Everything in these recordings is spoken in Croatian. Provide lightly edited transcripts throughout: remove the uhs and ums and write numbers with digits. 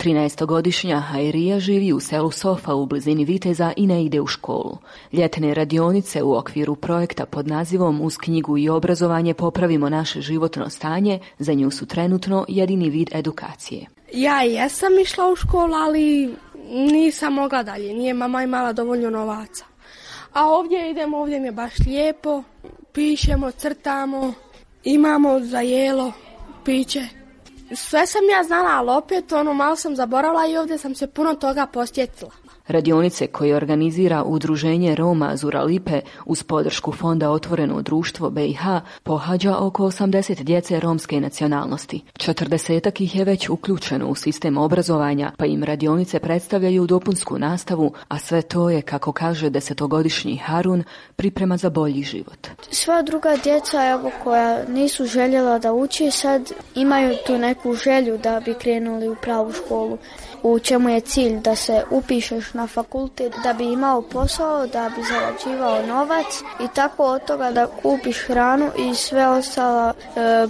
13-godišnja Hajrija živi u selu Sofa u blizini Viteza i ne ide u školu. Ljetne radionice u okviru projekta pod nazivom Uz knjigu i obrazovanje popravimo naše životno stanje za nju su trenutno jedini vid edukacije. Ja jesam išla u školu, ali nisam mogla dalje. Nije mama imala dovoljno novaca. A ovdje idemo, ovdje mi je baš lijepo. Pišemo, crtamo, imamo za jelo, piće. Sve sam ja znala, ali opet malo sam zaboravila i ovdje sam se puno toga posjetila. Radionice koje organizira Udruženje Roma Zuralipe uz podršku Fonda Otvoreno društvo BiH pohađa oko 80 djece romske nacionalnosti. 40 ih je već uključeno u sistem obrazovanja, pa im radionice predstavljaju dopunsku nastavu, a sve to je, kako kaže 10-godišnji Harun, priprema za bolji život. Sva druga djeca koja nisu željela da uči, sad imaju tu neku želju da bi krenuli u pravu školu. U čemu je cilj? Da se upišeš na fakultet, da bi imao posao, da bi zarađivao novac i tako od toga da kupiš hranu i sve ostala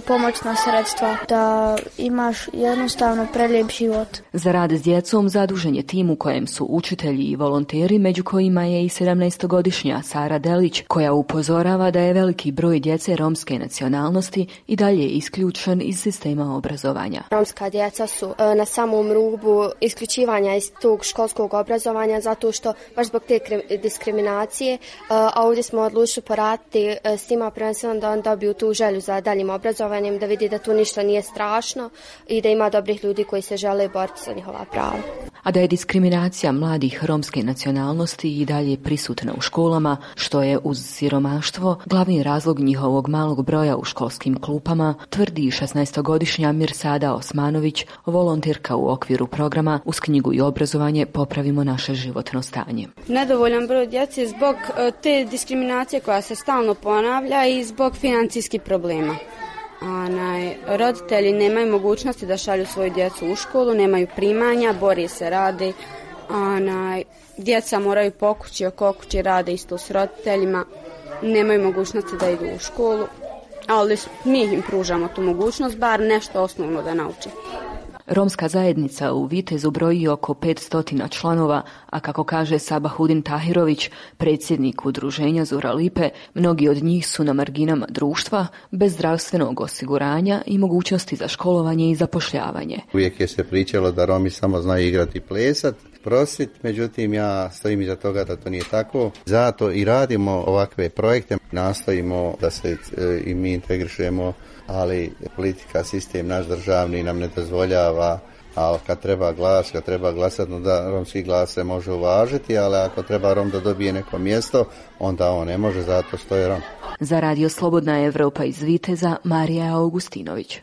pomoćna sredstva, da imaš jednostavno prelijep život. Za rad s djecom zadužen je tim u kojem su učitelji i volonteri, među kojima je i 17-godišnja Sara Delić, koja upozorava da je veliki broj djece romske nacionalnosti i dalje isključen iz sistema obrazovanja. Romska djeca su na samom rubu isključivanja iz tog školskog obrazovanja zato što baš zbog te diskriminacije, a ovdje smo odlučili poraditi s tima prvenstveno da on dobiju tu želju za daljim obrazovanjem, da vidi da tu ništa nije strašno i da ima dobrih ljudi koji se žele boriti za njihova prava. A da je diskriminacija mladih romske nacionalnosti i dalje prisutna u školama, što je uz siromaštvo glavni razlog njihovog malog broja u školskim klupama, tvrdi 16-godišnja Mirsada Osmanović, volonterka u okviru programa Uz knjigu i obrazovanje popravimo naše životno stanje. Nedovoljan broj djece zbog te diskriminacije koja se stalno ponavlja i zbog financijskih problema. Roditelji nemaju mogućnosti da šalju svoju djecu u školu, nemaju primanja, bori se, rade. Djeca moraju po kući, oko kući rade isto s roditeljima, nemaju mogućnosti da idu u školu, ali mi im pružamo tu mogućnost, bar nešto osnovno da nauči. Romska zajednica u Vitezu broji oko 500 članova, a kako kaže Sabahudin Tahirović, predsjednik udruženja Zuralipe, mnogi od njih su na marginama društva, bez zdravstvenog osiguranja i mogućnosti za školovanje i zapošljavanje. Uvijek je se pričalo da Romi samo znaju igrati i plesat, prostit, međutim ja stojim iza toga da to nije tako. Zato i radimo ovakve projekte, nastojimo da se i mi integrišemo, ali politika, sistem naš državni nam ne dozvoljava, a kad treba glasati, da romski glas se može uvažiti, ali ako treba Rom da dobije neko mjesto, onda on ne može, zato stoji Rom. Za Radio Slobodna Evropa iz Viteza, Marija Augustinović.